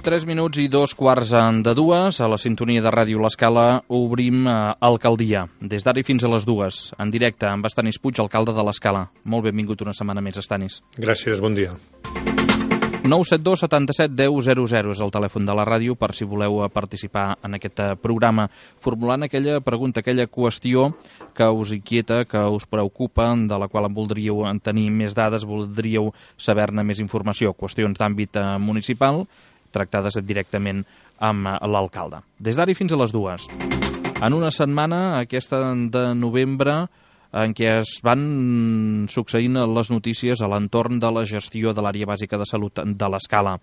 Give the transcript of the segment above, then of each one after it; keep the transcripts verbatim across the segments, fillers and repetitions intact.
Tres minuts i dos quarts de dues, a la sintonia de Ràdio L'Escala, obrim eh, Alcaldia. Des d'ara i fins a les dues, en directe amb Estanis Puig, alcalde de l'Escala. Molt benvingut una setmana més, Estanis. Gràcies, bon dia. nou set dos setanta-set deu zero zero és el telèfon de la ràdio per si voleu participar en aquest programa, formulant aquella pregunta, aquella qüestió que us inquieta, que us preocupa, de la qual en voldríeu tenir més dades, voldríeu saber-ne més informació, qüestions d'àmbit municipal, tractades directament amb l'alcalde. Des d'ara i fins a les dues. En una setmana, aquesta de novembre, en què es van succeint les notícies a l'entorn de la gestió de l'àrea bàsica de salut de l'Escala.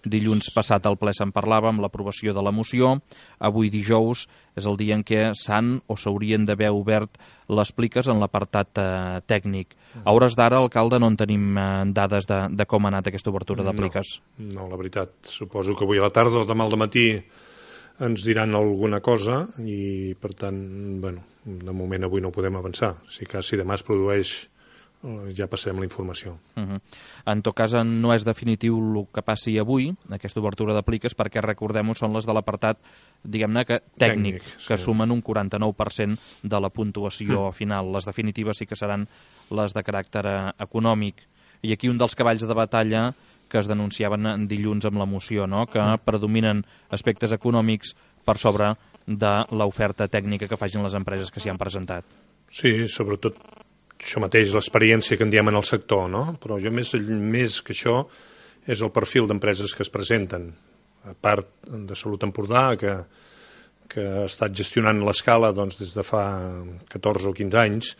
Dilluns passat al ple se'n parlava amb l'aprovació de la moció. Avui dijous és el dia en què s'han o s'haurien d'haver obert les pliques en l'apartat eh, tècnic. A hores d'ara, alcalde, no en tenim eh, dades de, de com ha anat aquesta obertura de pliques. No, no, la veritat. Suposo que avui a la tarda o demà al dematí ens diran alguna cosa i, per tant, bueno, de moment avui no podem avançar. Si cas, si demà es produeix, ja passarem la informació. Uh -huh. En tot cas, no és definitiu el que passi avui, aquesta obertura d'apliques, perquè, recordem-ho, són les de l'apartat, diguem-ne, que tècnic, tècnic que sí. Sumen un quaranta-nou per cent de la puntuació mm. final. Les definitives sí que seran les de caràcter econòmic. I aquí un dels cavalls de batalla que es denunciaven dilluns amb la moció, no? Que mm. predominen aspectes econòmics per sobre de l'oferta tècnica que facin les empreses que s'hi han presentat. Sí, sobretot això mateix, l'experiència que en diem en el sector, no? Però jo més, més que això és el perfil d'empreses que es presenten. A part de Salut Empordà, que, que ha estat gestionant l'Escala doncs, des de fa catorze o quinze anys,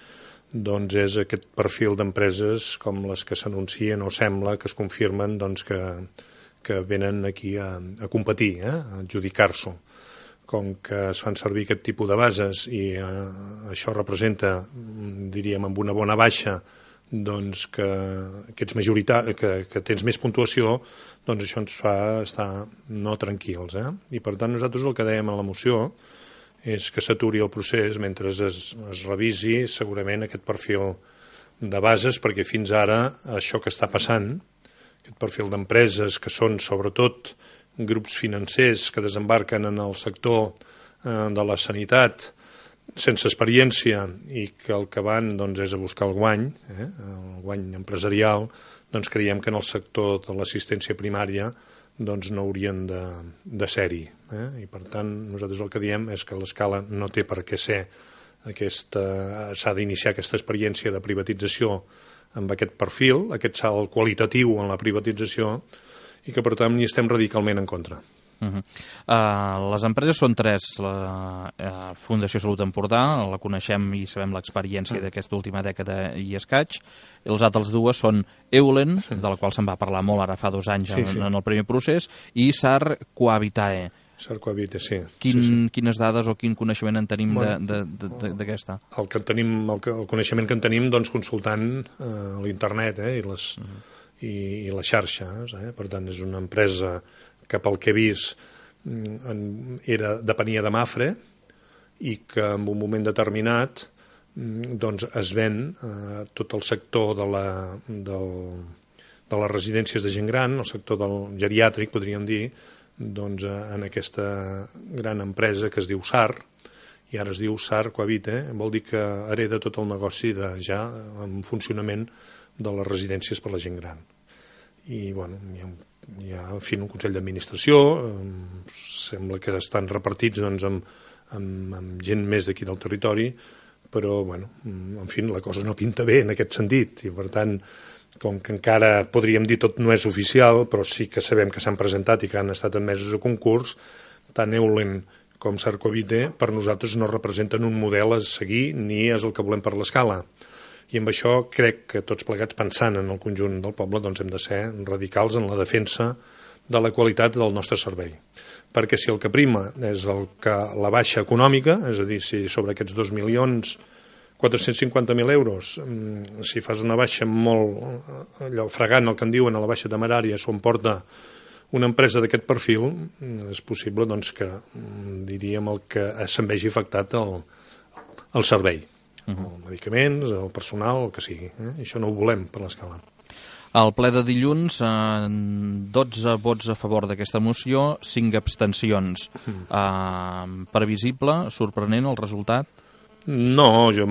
doncs és aquest perfil d'empreses com les que s'anuncien o sembla que es confirmen doncs, que, que venen aquí a, a competir, eh? A adjudicar-s'ho. Com que es fan servir aquest tipus de bases i eh, això representa, diríem, amb una bona baixa, doncs que, que, ets majorita- que, que tens més puntuació, doncs això ens fa estar no tranquils. Eh? I per tant nosaltres el que dèiem a la moció és que s'aturi el procés mentre es, es revisi segurament aquest perfil de bases, perquè fins ara això que està passant, aquest perfil d'empreses que són sobretot grups financers que desembarquen en el sector eh, de la sanitat sense experiència i que el que van doncs, és a buscar el guany, eh, el guany empresarial, doncs creiem que en el sector de l'assistència primària doncs, no haurien de, de ser-hi. Eh? I per tant nosaltres el que diem és que l'Escala no té per què ser aquesta, s'ha d'iniciar aquesta experiència de privatització amb aquest perfil, aquest salt qualitatiu en la privatització, i que, per tant, hi estem radicalment en contra. Uh -huh. uh, les empreses són tres. La uh, Fundació Salut Empordà, la coneixem i sabem l'experiència uh. d'aquesta última dècada i escaig. I les altres dues són Eulen, uh. de la qual se'n va parlar molt ara fa dos anys sí, en, sí. en el primer procés, i SAR Cohabitae. SAR Cohabitae, sí. Quin, sí, sí. Quines dades o quin coneixement en tenim bueno, d'aquesta? El, que tenim, el, que, el coneixement que en tenim doncs, consultant eh, l'internet eh, i les... Uh -huh. i les xarxes, eh? Per tant és una empresa que pel que he vist era, depenia de Mafre i que en un moment determinat doncs es ven eh, tot el sector de, la, del, de les residències de gent gran, el sector del geriàtric, podríem dir, doncs en aquesta gran empresa que es diu SAR, i ara es diu SAR Cohabitae, vol dir que hereda tot el negoci de, ja en funcionament de les residències per la gent gran. I, bueno, hi ha, hi ha en fi, un Consell d'Administració, eh, sembla que estan repartits doncs, amb, amb, amb gent més d'aquí del territori, però, bueno, en fi, la cosa no pinta bé en aquest sentit, i, per tant, com que encara podríem dir tot no és oficial, però sí que sabem que s'han presentat i que han estat admesos a concurs, tant Eulen com SAR Cohabitae per nosaltres no representen un model a seguir ni és el que volem per l'Escala. I amb això crec que tots plegats, pensant en el conjunt del poble, doncs hem de ser radicals en la defensa de la qualitat del nostre servei. Perquè si el que prima és el que la baixa econòmica, és a dir, si sobre aquests dos milions quatre-cents cinquanta mil euros, si fas una baixa molt, allò fregant el que en diuen a la baixa temerària, s'ho emporta una empresa d'aquest perfil, és possible doncs, que, diríem, el que se'n vegi afectat el, el servei. Uh-huh. Els medicaments, el personal, el que sigui. Eh? I això no ho volem per l'Escala. Al ple de dilluns, eh, dotze vots a favor d'aquesta moció, cinc abstencions. Eh, previsible, sorprenent el resultat? No, jo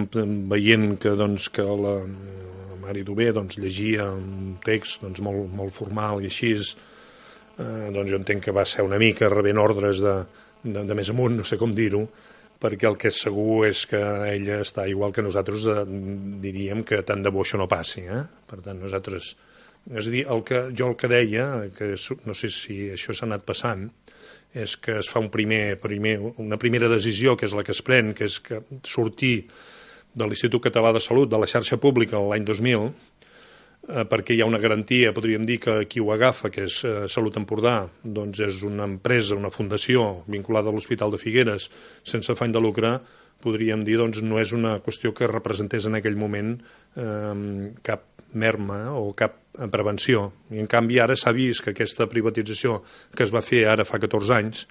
veient que, doncs, que la, la Mari Dové doncs, llegia un text doncs, molt, molt formal i així, eh, doncs jo entenc que va ser una mica rebent ordres de, de, de més amunt, no sé com dir-ho, perquè el que és segur és que ella està igual que nosaltres, eh, diríem que tant de bo això no passi. Eh? Per tant, nosaltres... És a dir, el que, jo el que deia, que no sé si això s'ha anat passant, és que es fa un primer, primer, una primera decisió, que és la que es pren, que és que sortir de l'Institut Català de Salut, de la xarxa pública l'any dos mil, eh, perquè hi ha una garantia, podríem dir que qui ho agafa, que és eh, Salut Empordà, doncs és una empresa, una fundació vinculada a l'Hospital de Figueres, sense afany de lucre, podríem dir, doncs no és una qüestió que representés en aquell moment eh, cap merma o cap prevenció. I en canvi ara s'ha vist que aquesta privatització que es va fer ara fa catorze anys,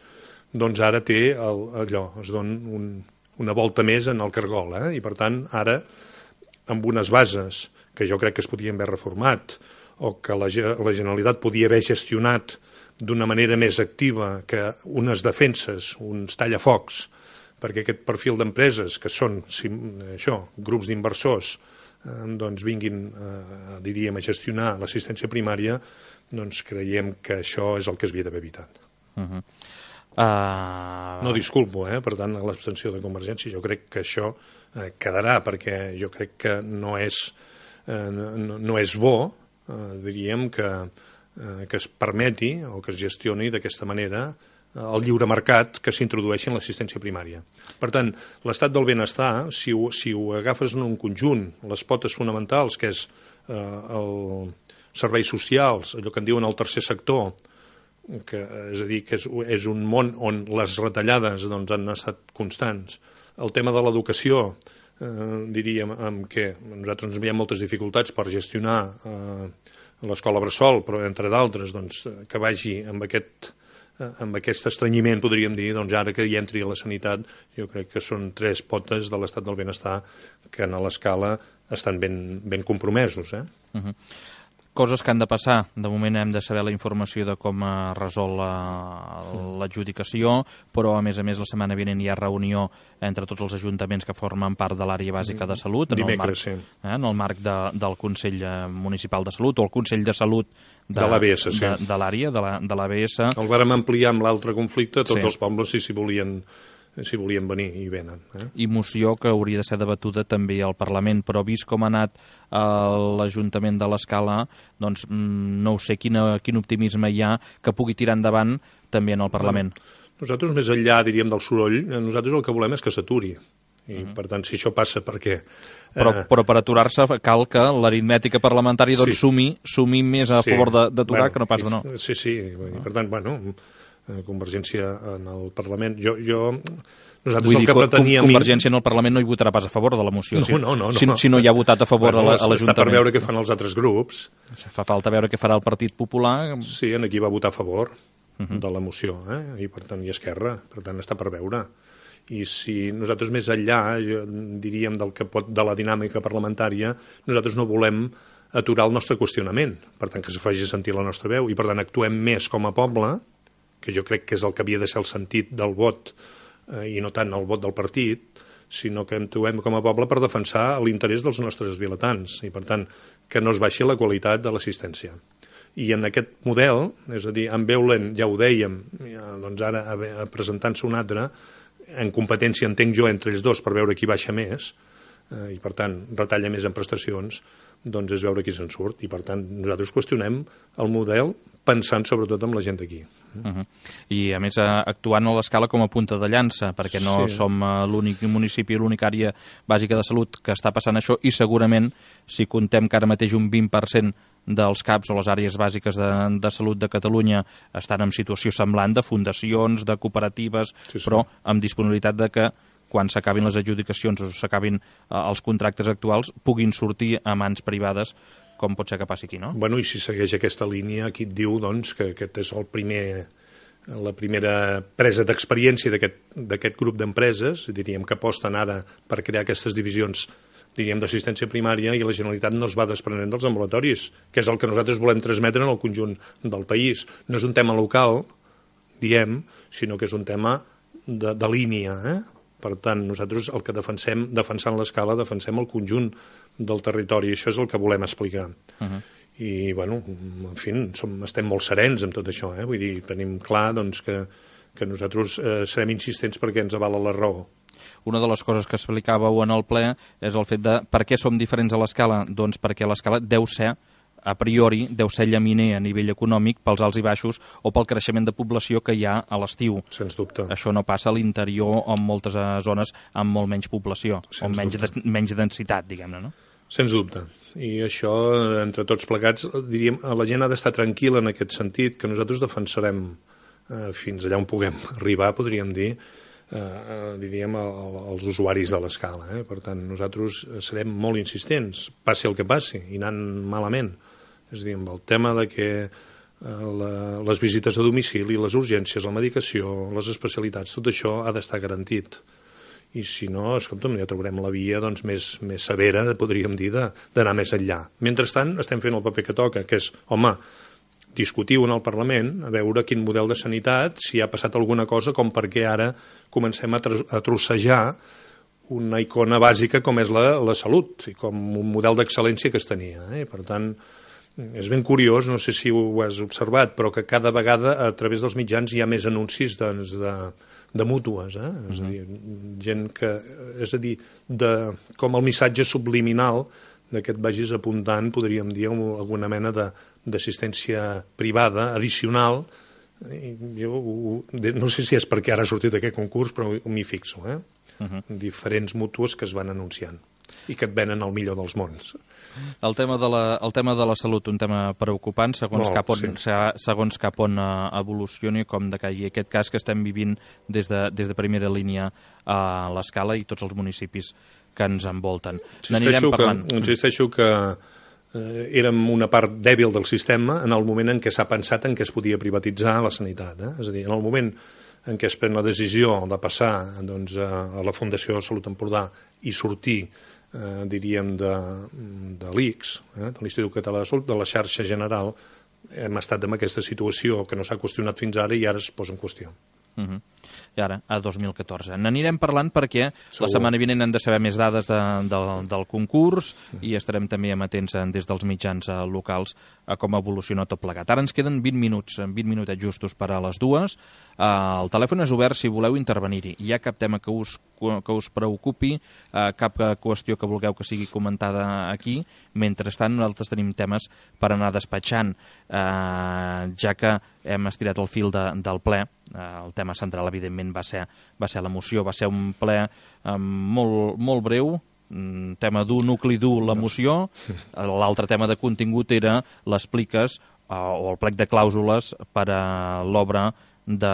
doncs ara té el, allò, es dona un, una volta més en el cargol, eh? I per tant ara amb unes bases que jo crec que es podien haver reformat o que la, la Generalitat podia haver gestionat d'una manera més activa que unes defenses, uns tallafocs, perquè aquest perfil d'empreses que són, si, això, grups d'inversors, eh, doncs vinguin, eh, diríem, a gestionar l'assistència primària, doncs creiem que això és el que es havia d'haver evitat. Uh -huh. uh... No disculpo, eh? Per tant, a l'abstenció de Convergència jo crec que això eh, quedarà, perquè jo crec que no és, eh, no, no és bo, eh, diríem, que, eh, que es permeti o que es gestioni d'aquesta manera el lliure mercat que s'introdueixi en l'assistència primària. Per tant, l'estat del benestar, si ho, si ho agafes en un conjunt, les potes fonamentals, que és eh, el serveis socials, allò que en diuen el tercer sector, que, és a dir, que és, és un món on les retallades doncs, han estat constants. El tema de l'educació, eh, diríem, amb què nosaltres ens veiem moltes dificultats per gestionar eh, l'escola bressol, però entre d'altres doncs, que vagi amb aquest amb aquest estrenyiment, podríem dir, doncs ara que hi entri a la sanitat, jo crec que són tres potes de l'estat del benestar que en l'escala estan ben, ben compromesos. Eh? Uh-huh. Coses que han de passar. De moment hem de saber la informació de com es resol l'adjudicació, però a més a més la setmana vinent hi ha reunió entre tots els ajuntaments que formen part de l'àrea bàsica de salut, en Dimecres, el marc, sí. eh, en el marc de, del Consell Municipal de Salut o el Consell de Salut de, de l'A B S, sí. de, de l'àrea, de, la, de l'A B S. El vàrem ampliar amb l'altre conflicte, tots sí. els pobles si s'hi volien, si volien venir i venen. Eh? I moció que hauria de ser debatuda també al Parlament, però vist com ha anat eh, l'Ajuntament de l'Escala, doncs no ho sé quina, quin optimisme hi ha que pugui tirar endavant també en el Parlament. Bueno, nosaltres, més enllà, diríem, del soroll, nosaltres el que volem és que s'aturi. I, uh-huh. per tant, si això passa, perquè... Eh... Però, però per aturar-se cal que l'aritmètica parlamentària doncs, sí. sumi, sumi més a sí. favor d'aturar bueno, que no pas de no. Sí, sí, i per tant, bueno, Convergència en el Parlament... Jo, jo, nosaltres Vull el dir, que preteníem... Convergència en el Parlament no hi votarà pas a favor de la moció, no, si, no, no, si, no. si no hi ha votat a favor bueno, a l'Ajuntament. Està per veure què fan els altres grups. Fa falta veure què farà el Partit Popular. Sí, en aquí va votar a favor uh-huh. de la moció, eh? I per tant, i Esquerra, per tant, està per veure. I si nosaltres més enllà, diríem, del que pot, de la dinàmica parlamentària, nosaltres no volem aturar el nostre qüestionament, per tant, que se faci sentir la nostra veu, i per tant actuem més com a poble, que jo crec que és el que havia de ser el sentit del vot, eh, i no tant el vot del partit, sinó que actuem com a poble per defensar l'interès dels nostres vilatans, i per tant, que no es baixi la qualitat de l'assistència. I en aquest model, és a dir, en veu lent, ja ho dèiem, ja, doncs ara presentant-se un altre, en competència, entenc jo, entre ells dos, per veure qui baixa més, eh, i per tant retalla més en prestacions, doncs és veure qui se'n surt. I per tant nosaltres qüestionem el model pensant sobretot en la gent d'aquí. Uh-huh. I a més actuant a l'Escala com a punta de llança, perquè no sí. som l'únic municipi, l'única àrea bàsica de salut que està passant això, i segurament si contem que ara mateix un vint per cent dels C A Ps o les àrees bàsiques de, de salut de Catalunya estan en situació semblant, de fundacions, de cooperatives, sí, sí. però amb disponibilitat de que quan s'acabin les adjudicacions o s'acabin eh, els contractes actuals puguin sortir a mans privades, com pot ser que passi aquí, no? Bueno, i si segueix aquesta línia, aquí et diu doncs, que aquest és el primer, la primera presa d'experiència d'aquest grup d'empreses, diríem que aposten ara per crear aquestes divisions diríem, d'assistència primària, i la Generalitat no es va desprenent dels ambulatoris, que és el que nosaltres volem transmetre en el conjunt del país. No és un tema local, diem, sinó que és un tema de, de línia, eh? Per tant, nosaltres el que defensem, defensant l'escala, defensem el conjunt del territori, i això és el que volem explicar. Uh-huh. I, bueno, en fi, som, estem molt serens amb tot això, eh? Vull dir, tenim clar, doncs, que, que nosaltres eh, serem insistents perquè ens avala la raó. Una de les coses que explicàveu en el ple és el fet de per què som diferents a l'escala? Doncs perquè l'escala deu ser, a priori, deu ser llaminer a nivell econòmic pels alts i baixos o pel creixement de població que hi ha a l'estiu. Sens dubte. Això no passa a l'interior o en moltes zones amb molt menys població, Sens o menys, de, menys densitat, diguem-ne, no? Sens dubte. I això, entre tots plegats, diríem, la gent ha d'estar tranquil·la en aquest sentit, que nosaltres defensarem eh, fins allà on puguem arribar, podríem dir, eh, diríem, als usuaris de l'escala. Eh? Per tant, nosaltres serem molt insistents, passi el que passi, i anant malament. És a dir, amb el tema de que eh, la, les visites a domicili, les urgències, la medicació, les especialitats, tot això ha d'estar garantit. I si no, escolta'm, ja trobarem la via doncs, més, més severa, podríem dir, d'anar més enllà. Mentrestant, estem fent el paper que toca, que és, home, discutiu en el Parlament, a veure quin model de sanitat, si ha passat alguna cosa, com perquè ara comencem a, a trossejar una icona bàsica com és la, la salut, i com un model d'excel·lència que es tenia. Eh? Per tant, és ben curiós, no sé si ho has observat, però que cada vegada a través dels mitjans hi ha més anuncis doncs, de, de mútues, eh? Uh-huh. És a dir, gent que, és a dir, de, com el missatge subliminal de que et vagis apuntant, podríem dir, alguna mena d'assistència privada addicional. I jo no sé si és perquè ara ha sortit aquest concurs, però m'hi fixo, eh? Uh-huh. Diferents mútues que es van anunciant i que et venen el millor dels mons. El tema de la, el tema de la salut, un tema preocupant, segons, Molt, cap, on, sí. segons cap on evolucioni, com de que hi ha aquest cas que estem vivint des de, des de primera línia a l'escala i tots els municipis que ens envolten. Insisteixo que, insisteixo que eh, érem una part dèbil del sistema en el moment en què s'ha pensat en què es podia privatitzar la sanitat. Eh? És a dir, en el moment en què es pren la decisió de passar doncs, a la Fundació de Salut Empordà i sortir, eh, diríem, de, de l'I C S, eh, de l'Institut Català de Salut, de la xarxa general, hem estat en aquesta situació que no s'ha qüestionat fins ara i ara es posa en qüestió. Uh-huh. I ara, a dos mil catorze. N'anirem parlant perquè Segur. La setmana vinent hem de saber més dades de, de, del concurs uh-huh. i estarem també amatents des dels mitjans locals a com evoluciona tot plegat. Ara ens queden vint minuts, vint minutets justos per a les dues. Uh, el telèfon és obert si voleu intervenir-hi. Hi ha cap tema que us, que us preocupi, uh, cap qüestió que vulgueu que sigui comentada aquí. Mentrestant, nosaltres tenim temes per anar despatxant, uh, ja que hem estirat el fil de, del ple. Uh, el tema central, evidentment, va ser, va ser la moció, va ser un ple um, molt, molt breu, un tema dur, nucli dur, la moció. L'altre tema de contingut era les pliques uh, o el plec de clàusules per a l'obra de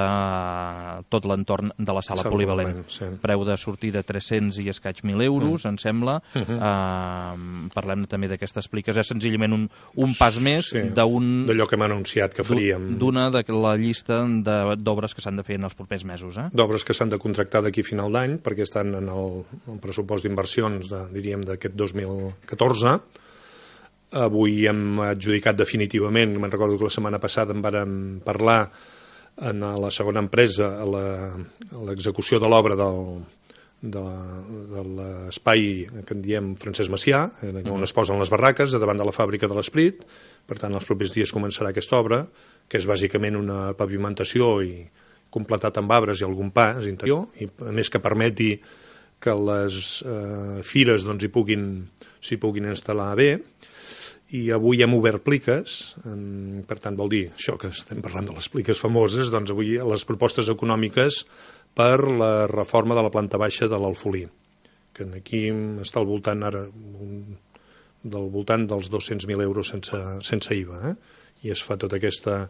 tot l'entorn de la sala polivalent. Sí. Preu de sortida tres-cents i escaig mil euros, mm. em sembla. Uh-huh. Uh, parlem també d'aquestes pliques. És senzillament un, un pas més sí. d'un... d'allò que hem anunciat que faríem. D'una de la llista d'obres que s'han de fer en els propers mesos. Eh? D'obres que s'han de contractar d'aquí a final d'any, perquè estan en el, el pressupost d'inversions, de, diríem, d'aquest dos mil catorze. Avui hem adjudicat definitivament, me'n recordo que la setmana passada en vàrem parlar en la segona empresa, a l'execució de l'obra del, de, de l'espai que en diem Francesc Macià, on es posen les barraques, davant de la fàbrica de l'Esprit. Per tant, els propers dies començarà aquesta obra, que és bàsicament una pavimentació i completat amb arbres i algun pas interior, i a més que permeti que les eh, fires doncs, hi puguin, s'hi puguin instal·lar bé. I avui hem obert pliques, per tant vol dir això que estem parlant de les pliques famoses, doncs avui les propostes econòmiques per la reforma de la planta baixa de l'Alfolí, que aquí està al voltant ara del voltant dels dos-cents mil euros sense, sense I V A, eh? I es fa tota aquesta,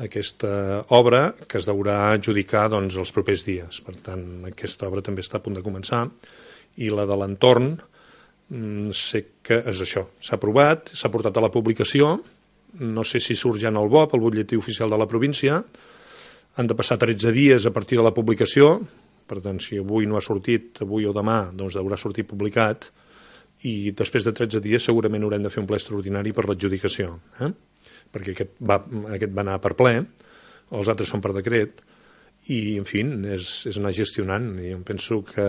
aquesta obra que es deurà adjudicar doncs, els propers dies. Per tant, aquesta obra també està a punt de començar, i la de l'entorn sé que és això, s'ha aprovat, s'ha portat a la publicació, no sé si surt ja en el B O P, el butlletí oficial de la província, han de passar tretze dies a partir de la publicació, per tant, si avui no ha sortit, avui o demà, doncs deurà sortir publicat, i després de tretze dies segurament haurem de fer un ple extraordinari per l'adjudicació, eh? perquè aquest va, aquest va anar per ple, els altres són per decret, i, en fi, és, és anar gestionant. I em penso que...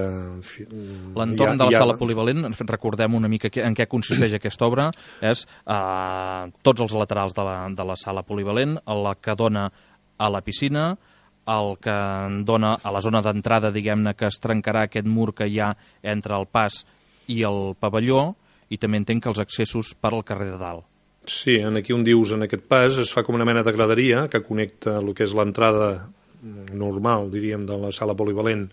L'entorn de la sala polivalent, recordem una mica en què consisteix aquesta obra, és eh, tots els laterals de la, de la sala polivalent, la que dona a la piscina, el que dona a la zona d'entrada, diguem-ne, que es trencarà aquest mur que hi ha entre el pas i el pavelló, i també entenc que els accessos per al carrer de dalt. Sí, aquí on dius, en aquest pas, es fa com una mena de graderia que connecta el que és l'entrada normal, diríem, de la sala polivalent,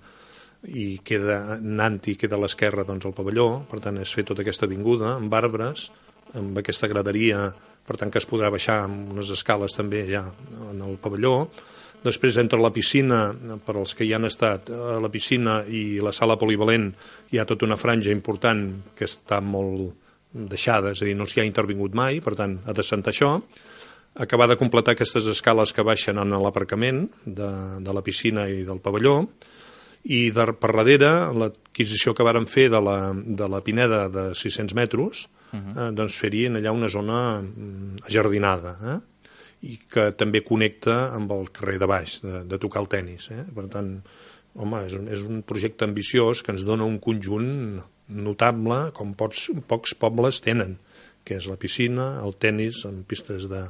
i queda anant i queda a l'esquerra doncs, el pavelló. Per tant, es fer tota aquesta avinguda amb arbres, amb aquesta graderia, per tant que es podrà baixar amb unes escales també ja en el pavelló. Després, entre la piscina, per als que hi han estat, la piscina i la sala polivalent, hi ha tota una franja important que està molt deixada, és a dir, no s'hi ha intervingut mai, per tant, ha de sentar això. Acabar de completar aquestes escales que baixen en l'aparcament de, de la piscina i del pavelló, i de, per darrere l'adquisició que vàrem fer de la, de la Pineda de sis-cents metres, uh-huh. eh, doncs fer-hi allà una zona ajardinada, eh? I que també connecta amb el carrer de baix, de, de tocar el tenis. Eh? Per tant, home, és un, és un projecte ambiciós que ens dona un conjunt notable, com pocs, pocs pobles tenen, que és la piscina, el tenis amb pistes de,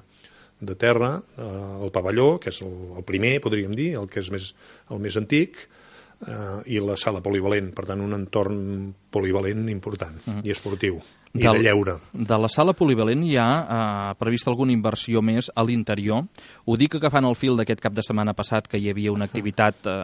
de terra, eh, el pavelló, que és el, el primer, podríem dir, el que és més, el més antic, eh, i la sala polivalent. Per tant, un entorn polivalent important mm. i esportiu. I del, de lleure. De la sala polivalent hi ha eh, prevista alguna inversió més a l'interior. Ho dic agafant el fil d'aquest cap de setmana passat, que hi havia una activitat eh,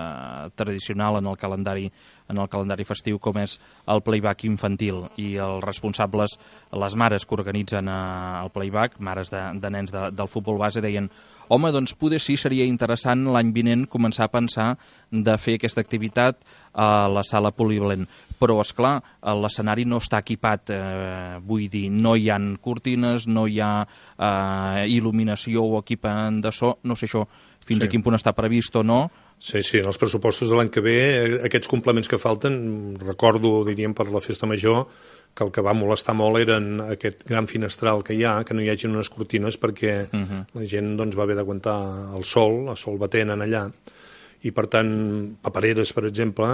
tradicional en el calendari en el calendari festiu, com és el playback infantil, i els responsables, les mares que organitzen eh, el playback, mares de, de nens de, del futbol base, deien: home, doncs poder sí seria interessant l'any vinent començar a pensar de fer aquesta activitat a la sala polivalent. Però, esclar, l'escenari no està equipat, eh, vull dir, no hi ha cortines, no hi ha eh, il·luminació o equipament de so, no sé això fins sí. a quin punt està previst o no. Sí, sí, en els pressupostos de l'any que ve, aquests complements que falten, recordo, diríem, per la festa major, que el que va molestar molt eren aquest gran finestral que hi ha, que no hi hagi unes cortines perquè uh-huh. la gent doncs, va haver d'aguantar el sol, el sol batent en allà, i per tant, papereres, per exemple,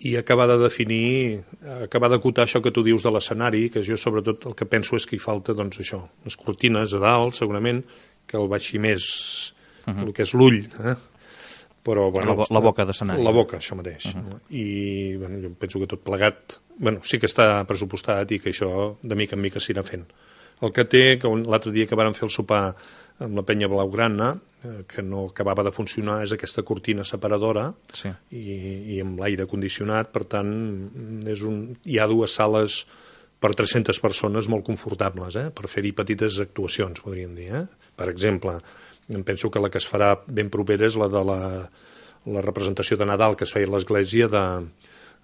i acabar de definir, acabar d'acotar això que tu dius de l'escenari, que jo sobretot el que penso és que hi falta doncs això, les cortines a dalt, segurament, que el baixi més uh-huh. el que és l'ull, eh? Però, bueno, la, la boca d'escenari. La boca, això mateix. Uh-huh. I bueno, jo penso que tot plegat, bueno, sí que està pressupostat i que això de mica en mica s'irà fent. El que té, que l'altre dia que vàrem fer el sopar amb la penya blaugrana, eh, que no acabava de funcionar, és aquesta cortina separadora sí. i, i amb l'aire condicionat, per tant, és un, hi ha dues sales per tres-centes persones molt confortables, eh, per fer-hi petites actuacions, podríem dir. Eh? Per exemple, em penso que la que es farà ben propera és la de la, la representació de Nadal que es feia a l'església de,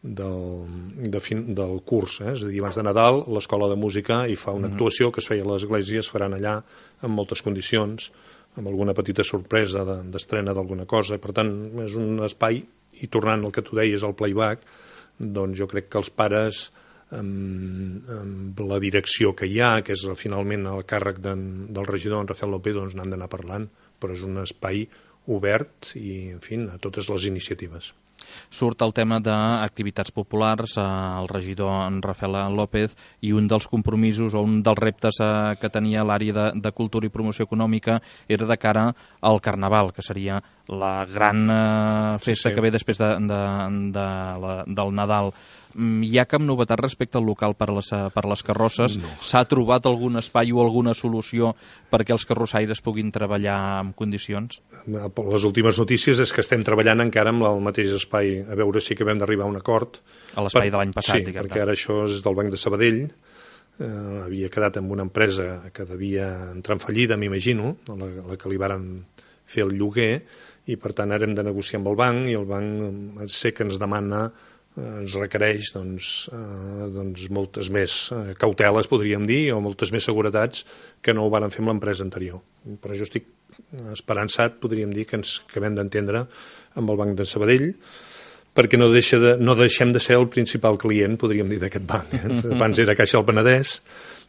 del, de fin, del curs. Eh? És a dir, abans de Nadal l'escola de música hi fa una actuació que es feia a l'església, es faran allà en moltes condicions, amb alguna petita sorpresa de, d'estrena d'alguna cosa. Per tant, és un espai, i tornant al que tu deies, al playback, doncs jo crec que els pares, amb, amb la direcció que hi ha, que és finalment el càrrec de, del regidor en Rafael López, doncs n'han d'anar parlant, però és un espai obert i, en fi, a totes les iniciatives. Surt el tema d'activitats populars, eh, el regidor en Rafael López, i un dels compromisos o un dels reptes eh, que tenia l'àrea de, de cultura i promoció econòmica era de cara al Carnaval, que seria la gran eh, festa sí, sí. que ve després de, de, de la, del Nadal. Hi ha cap novetat respecte al local per les, per les carrosses? No. S'ha trobat algun espai o alguna solució perquè els carrossaires puguin treballar en condicions? Les últimes notícies és que estem treballant encara amb el mateix espai, a veure si acabem d'arribar a un acord. A l'espai per... de l'any passat, sí, perquè ara això és del Banc de Sabadell, eh, havia quedat amb una empresa que devia entrar en fallida, m'imagino, la, la que li varen fer el lloguer, i per tant ara hem de negociar amb el banc, i el banc sé que ens demana ens requereix doncs, eh, doncs moltes més eh, cauteles, podríem dir, o moltes més seguretats que no ho van fer amb l'empresa anterior. Però jo estic esperançat, podríem dir, que ens acabem d'entendre amb el Banc de Sabadell, perquè no, deixa de, no deixem de ser el principal client, podríem dir, d'aquest banc. Eh? Abans era Caixa del Penedès,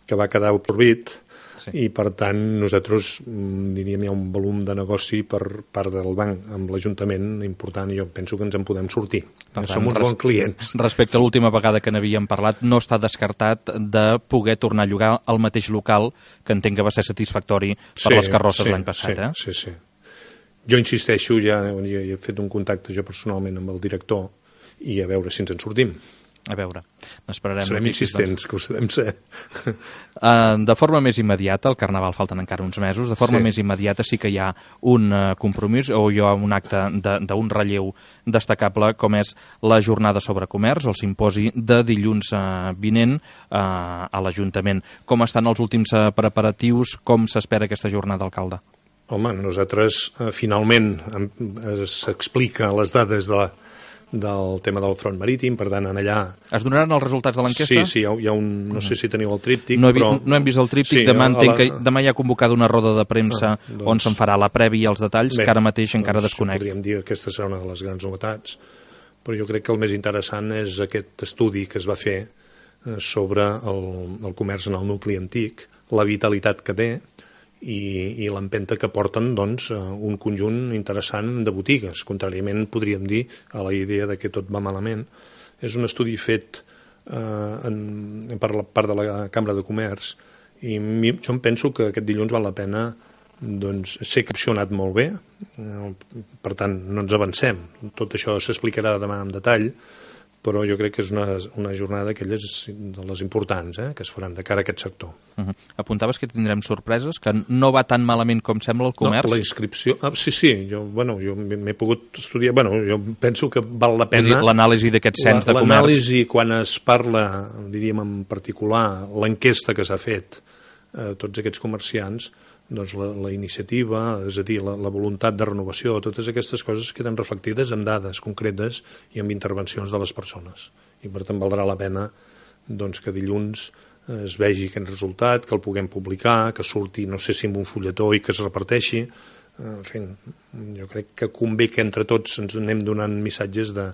que va quedar absorbit, sí. I per tant nosaltres diríem hi ha un volum de negoci per part del banc amb l'Ajuntament important, i jo penso que ens en podem sortir. Per tant, som uns bons clients. Respecte a l'última vegada que n'havíem parlat, no està descartat de poder tornar a llogar al mateix local, que entenc que va ser satisfactori per sí, les carrosses sí, l'any passat. Sí, eh? sí, sí. Jo insisteixo, ja, ja he fet un contacte jo personalment amb el director i a veure si ens en sortim. A veure, n'esperarem. Serem insistents, que ho sabem ser. Uh, de forma més immediata, al Carnaval falten encara uns mesos, de forma sí. més immediata sí que hi ha un uh, compromís o hi ha un acte d'un relleu destacable com és la jornada sobre comerç, el simposi de dilluns uh, vinent uh, a l'Ajuntament. Com estan els últims uh, preparatius? Com s'espera aquesta jornada, alcalde? Home, nosaltres uh, finalment uh, s'explica les dades de la del tema del front marítim, per tant, en allà... Es donaran els resultats de l'enquesta? Sí, sí, hi ha, hi ha un... No sé si teniu el tríptic, no he, però... No hem vist el tríptic, sí, demà entenc la... que demà hi ha convocada una roda de premsa ah, doncs... on se'n farà la prèvia i els detalls, bé, que ara mateix doncs, encara desconec. Podríem dir que aquesta serà una de les grans novetats, però jo crec que el més interessant és aquest estudi que es va fer sobre el, el comerç en el nucli antic, la vitalitat que té, i, i l'empenta que porten doncs, un conjunt interessant de botigues. Contràriament, podríem dir, a la idea de que tot va malament. És un estudi fet eh, en, per la part de la Cambra de Comerç i mi, jo em penso que aquest dilluns val la pena doncs, ser capcionat molt bé. Eh, per tant, no ens avancem. Tot això s'explicarà demà en detall, però jo crec que és una, una jornada d'aquelles de les importants eh, que es faran de cara a aquest sector. Uh-huh. Apuntaves que tindrem sorpreses, que no va tan malament com sembla el comerç? No, la inscripció... Ah, sí, sí, jo, bueno, jo m'he pogut estudiar... Bueno, jo penso que val la pena... L'anàlisi d'aquest cens de comerç... L'anàlisi, quan es parla, diríem en particular, l'enquesta que s'ha fet a eh, tots aquests comerciants, doncs la, la iniciativa, és a dir, la, la voluntat de renovació, totes aquestes coses queden reflectides en dades concretes i en intervencions de les persones. I per tant valdrà la pena doncs, que dilluns eh, es vegi aquest resultat, que el puguem publicar, que surti, no sé si amb un fulletó i que es reparteixi. Eh, en fi, jo crec que convé que entre tots ens anem donant missatges de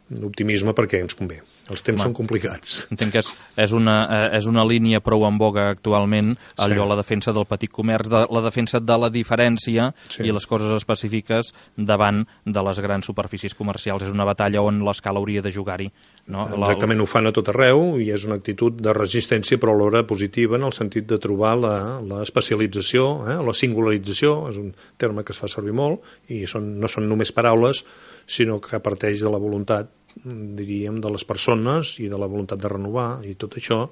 d'optimisme perquè ens convé. Els temps Home, són complicats. Entenc que és, és, una, és una línia prou en boga actualment, allò sí. La defensa del petit comerç, de, la defensa de la diferència sí. I les coses específiques davant de les grans superfícies comercials. És una batalla on l'escala hauria de jugar-hi. No? Exactament, ho fan a tot arreu i és una actitud de resistència però alhora positiva en el sentit de trobar l'especialització, eh? La singularització, és un terme que es fa servir molt i són, no són només paraules, sinó que parteix de la voluntat, diríem, de les persones i de la voluntat de renovar i tot això,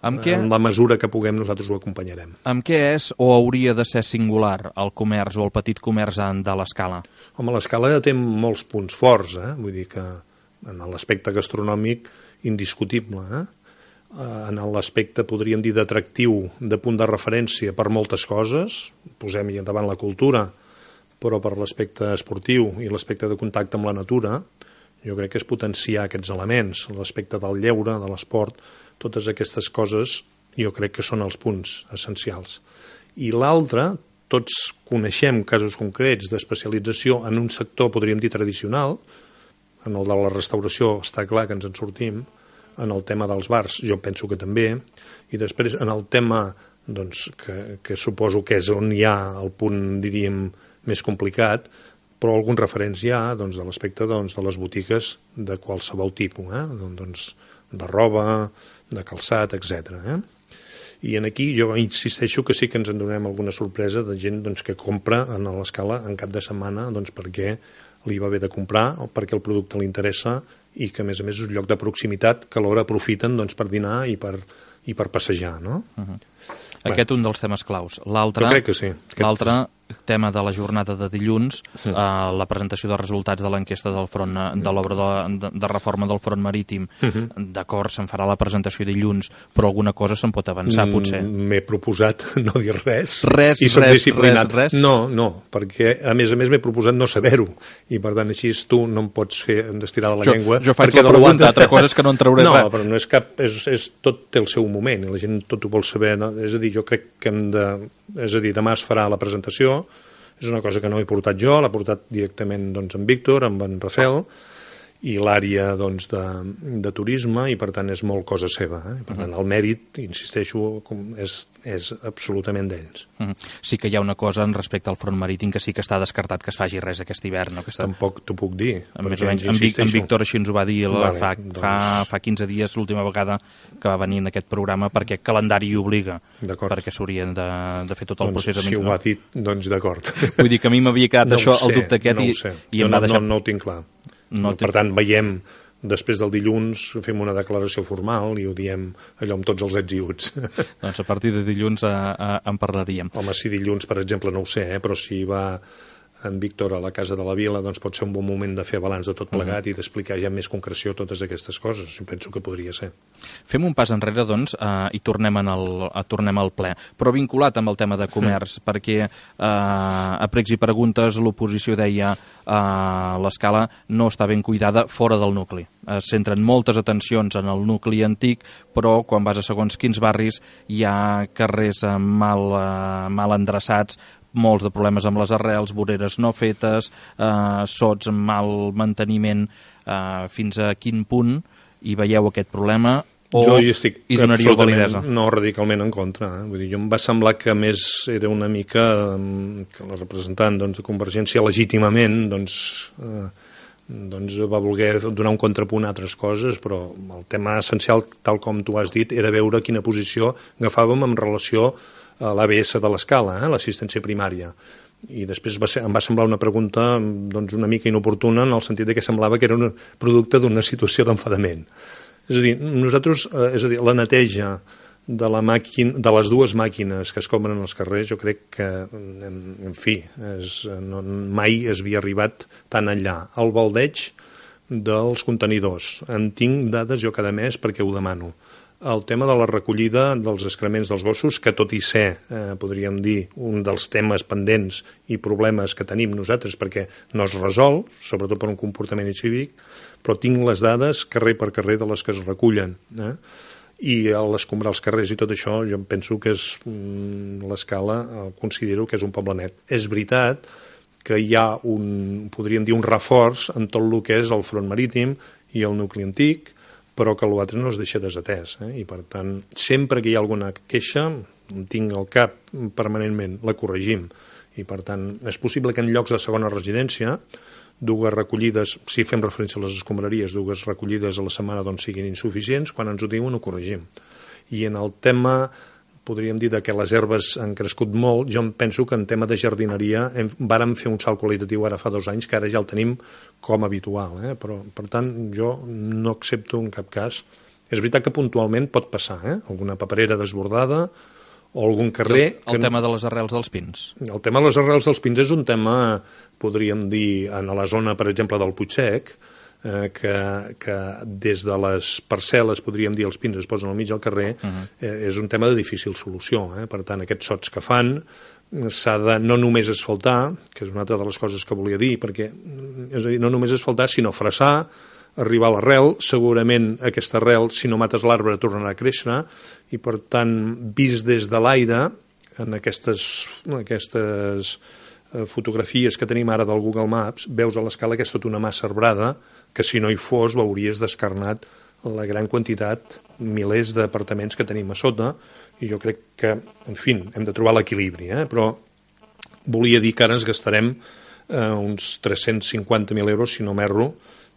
amb què, en la mesura que puguem nosaltres ho acompanyarem. Amb què és o hauria de ser singular el comerç o el petit comerç de l'Escala? Home, l'Escala té molts punts forts, eh? Vull dir que en l'aspecte gastronòmic indiscutible, eh? En l'aspecte, podríem dir, d'atractiu, de punt de referència per moltes coses, posem-hi endavant la cultura, però per l'aspecte esportiu i l'aspecte de contacte amb la natura, jo crec que és potenciar aquests elements, l'aspecte del lleure, de l'esport, totes aquestes coses jo crec que són els punts essencials. I l'altre, tots coneixem casos concrets d'especialització en un sector, podríem dir, tradicional, en el de la restauració està clar que ens en sortim, en el tema dels bars jo penso que també, i després en el tema doncs, que, que suposo que és on hi ha el punt, diríem, més complicat, però alguns referents hi ha doncs, de l'aspecte doncs, de les botigues de qualsevol tipus, eh? doncs, de roba, de calçat, etcètera. Eh? I en aquí jo insisteixo que sí que ens en donem alguna sorpresa de gent doncs, que compra en l'Escala en cap de setmana doncs, perquè li va bé de comprar o perquè el producte li interessa i que a més a més és un lloc de proximitat que alhora aprofiten doncs, per dinar i per, i per passejar. No? Uh-huh. Aquest un dels temes claus. L'altre, jo crec que sí. L'altre tema de la jornada de dilluns, sí. eh, la presentació dels resultats de l'enquesta del front, de l'obra de, de, de reforma del front marítim. Uh-huh. D'acord, se'n farà la presentació dilluns, però alguna cosa se'n pot avançar, potser. M'he proposat no dir res. Res, i res, res, res? No, no, perquè a més a més m'he proposat no saber-ho, i per tant així tu no em pots fer d'estirar la jo, llengua. Jo faig la pregunta, altra cosa és que no en trauré no, res. No, però no és cap, és, és, tot té el seu moment, i la gent tot ho vol saber, no? És a dir, jo crec que hem de, és a dir, demà es farà la presentació. És una cosa que no he portat jo, l'ha portat directament doncs, en Víctor, amb en Rafael, i l'àrea doncs, de, de turisme, i per tant és molt cosa seva. Eh? Per tant, el mèrit, insisteixo, és, és absolutament d'ells. Uh -huh. Sí que hi ha una cosa en respecte al front marítim que sí que està descartat que es faci res aquest hivern. No? Aquesta... Tampoc t'ho puc dir. Més o menys, en, Vic, en Víctor així ens ho va dir la, vale, fa, doncs... fa, fa quinze dies, l'última vegada que va venir en aquest programa, perquè el calendari hi obliga, perquè s'haurien de, de fer tot el doncs, procés. Si ho ha dit, doncs d'acord. Vull dir que a mi m'havia quedat no això, sé, el dubte aquest, no i, i em no, va deixar... No, no ho tinc clar. No per tant, veiem, després del dilluns, fem una declaració formal i ho diem allò amb tots els ets i uts. Doncs a partir de dilluns a, a, en parlaríem. Home, si dilluns, per exemple, no ho sé, eh, però si va en Víctor a la Casa de la Vila, doncs pot ser un bon moment de fer balanç de tot plegat uh -huh. i d'explicar ja amb més concreció totes aquestes coses. Penso que podria ser. Fem un pas enrere, doncs, eh, i tornem, en el, a, tornem al ple, però vinculat amb el tema de comerç, mm. perquè eh, a pregs i preguntes l'oposició deia eh, l'escala no està ben cuidada fora del nucli. Es centren moltes atencions en el nucli antic, però quan vas a segons quins barris hi ha carrers mal, eh, mal endreçats, molts de problemes amb les arrels, voreres no fetes, eh, sots amb mal manteniment, eh, fins a quin punt hi veieu aquest problema o jo hi estic hi donaríeu validesa? No radicalment en contra. Eh? Vull dir, jo em va semblar que més era una mica que la representant doncs, de Convergència legítimament doncs, eh, doncs va voler donar un contrapunt a altres coses, però el tema essencial, tal com tu has dit, era veure quina posició agafàvem en relació a l'A B S de l'escala, eh, l'assistència primària. I després va ser, em va semblar una pregunta doncs, una mica inoportuna en el sentit de que semblava que era un producte d'una situació d'enfadament. És a dir, nosaltres, eh, és a dir, la neteja de, la màquina, de les dues màquines que es compren als carrers, jo crec que, en, en fi, és, no, mai es havia arribat tan enllà. El baldeig dels contenidors. En tinc dades jo cada mes perquè ho demano. El tema de la recollida dels excrements dels gossos, que tot i ser, eh, podríem dir, un dels temes pendents i problemes que tenim nosaltres perquè no es resol, sobretot per un comportament incívic, però tinc les dades carrer per carrer de les que es recullen. Eh? I a l'escombrar els carrers i tot això, jo penso que és mm, l'escala, eh, considero que és un poble net. És veritat que hi ha un, podríem dir, un reforç en tot el que és el front marítim i el nucli antic, però que l'altre no es deixa desatès. Eh? I, per tant, sempre que hi ha alguna queixa, tinc al cap permanentment, la corregim. I, per tant, és possible que en llocs de segona residència, dues recollides, si fem referència a les escombraries, dues recollides a la setmana doncs siguin insuficients, quan ens ho diuen ho corregim. I en el tema, podríem dir, de que les herbes han crescut molt, jo em penso que en tema de jardineria hem, vàrem fer un salt qualitatiu ara fa dos anys, que ara ja el tenim com habitual. Eh? Però, per tant, jo no accepto en cap cas. És veritat que puntualment pot passar, eh? Alguna paperera desbordada o algun carrer... El, el que... tema de les arrels dels pins. El tema de les arrels dels pins és un tema, podríem dir, en la zona, per exemple, del Puigsec, eh, que, que des de les parcel·les, podríem dir, els pins es posen al mig del carrer, uh -huh. eh, és un tema de difícil solució. Eh? Per tant, aquests sots que fan s'ha de no només asfaltar, que és una altra de les coses que volia dir, perquè, és a dir, no només asfaltar, sinó fressar, arribar a l'arrel, segurament aquesta arrel, si no mates l'arbre, tornarà a créixer, i per tant, vist des de l'aire, en aquestes, aquestes fotografies que tenim ara del Google Maps, veus a l'escala que és tota una massa arbrada, que si no hi fos veuries descarnat la gran quantitat, milers d'apartaments que tenim a sota, i jo crec que, en fi, hem de trobar l'equilibri, eh? Però volia dir que ara ens gastarem eh, uns tres-cents cinquanta mil euros, si no m'erro,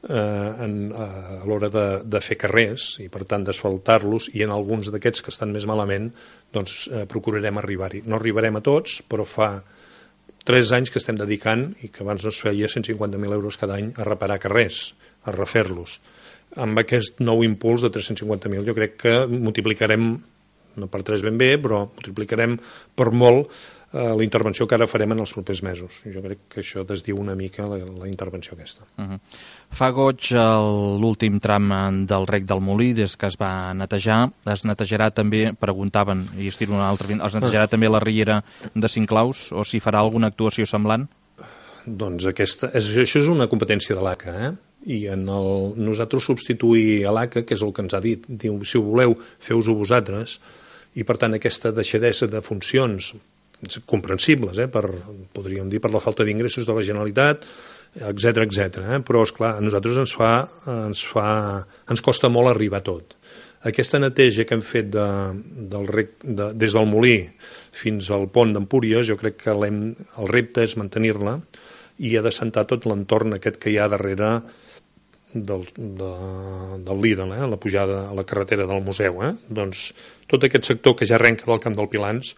eh, en, eh, a l'hora de, de fer carrers, i per tant d'asfaltar-los, i en alguns d'aquests que estan més malament, doncs eh, procurarem arribar-hi. No arribarem a tots, però fa tres anys que estem dedicant, i que abans no es feia cent cinquanta mil euros cada any, a reparar carrers, a refer-los. Amb aquest nou impuls de tres-cents cinquanta mil jo crec que multiplicarem, no per tres ben bé, però multiplicarem per molt eh, la intervenció que ara farem en els propers mesos. Jo crec que això desdiu una mica la, la intervenció aquesta. Uh -huh. Fa goig l'últim tram del rec del Molí, des que es va netejar. Es netejarà també, preguntaven, i es tira una altra, es netejarà també la riera de Cinclaus, o si farà alguna actuació semblant? Doncs aquesta, és, això és una competència de l'A C A, eh? I en el, nosaltres substituir a l'A C A, que és el que ens ha dit, diu, si ho voleu, feu-ho vosaltres, i per tant aquesta deixadesa de funcions comprensibles, eh, per, podríem dir, per la falta d'ingressos de la Generalitat, etcètera, etcètera. Eh? Però, esclar, a nosaltres ens fa, ens fa, ens costa molt arribar a tot. Aquesta neteja que hem fet de, del rec, de, des del molí fins al pont d'Empúries, jo crec que el repte és mantenir-la i ha de sentar tot l'entorn aquest que hi ha darrere del, de, del Lidl, eh? La pujada a la carretera del museu. Eh? Doncs tot aquest sector que ja arrenca del Camp del Pilans,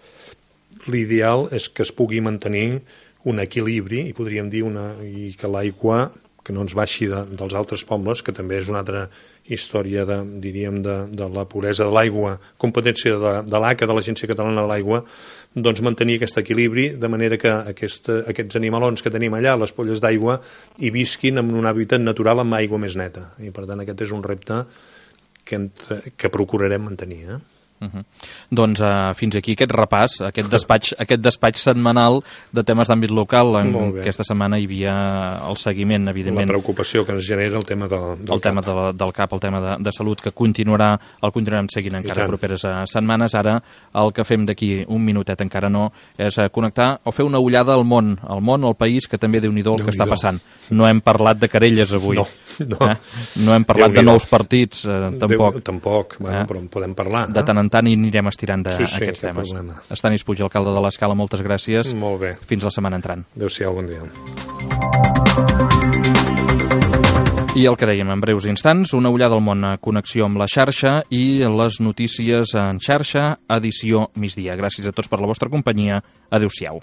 l'ideal és que es pugui mantenir un equilibri i podríem dir una, i que l'aigua que no ens baixi de, dels altres pobles, que també és una altra història de, diríem, de, de la puresa de l'aigua, competència de, de l'A C A, de l'Agència Catalana de l'Aigua, doncs mantenir aquest equilibri de manera que aquesta, aquests animalons que tenim allà, les polles d'aigua, hi visquin en un hàbitat natural amb aigua més neta. I per tant aquest és un repte que, entre, que procurarem mantenir. Eh? Uh -huh. Doncs uh, fins aquí aquest repàs, aquest despatx, aquest despatx setmanal de temes d'àmbit local. En aquesta setmana hi havia el seguiment, evidentment. La preocupació que ens genera el tema de, del el tema de la, del C A P, el tema de, de salut, que continuarà, el continuarem seguint encara properes uh, setmanes. Ara el que fem d'aquí un minutet, encara no, és uh, connectar o fer una ullada al món, al món, al país, que també Déu-n'hi-do el que està passant. No hem parlat de querelles avui. No, no. Eh? No hem parlat de nous partits, eh, tampoc. Déu, tampoc, bueno, eh? Però en podem parlar. De tant en tant i anirem estirant de, sí, sí, aquests temes. Problema. Estanis Puig, alcalde de l'Escala, moltes gràcies. Molt bé. Fins la setmana entrant. Adéu-siau, bon dia. I el que dèiem, en breus instants, una ullada al món, a connexió amb la xarxa i les notícies en xarxa, edició migdia. Gràcies a tots per la vostra companyia. Adéu-siau.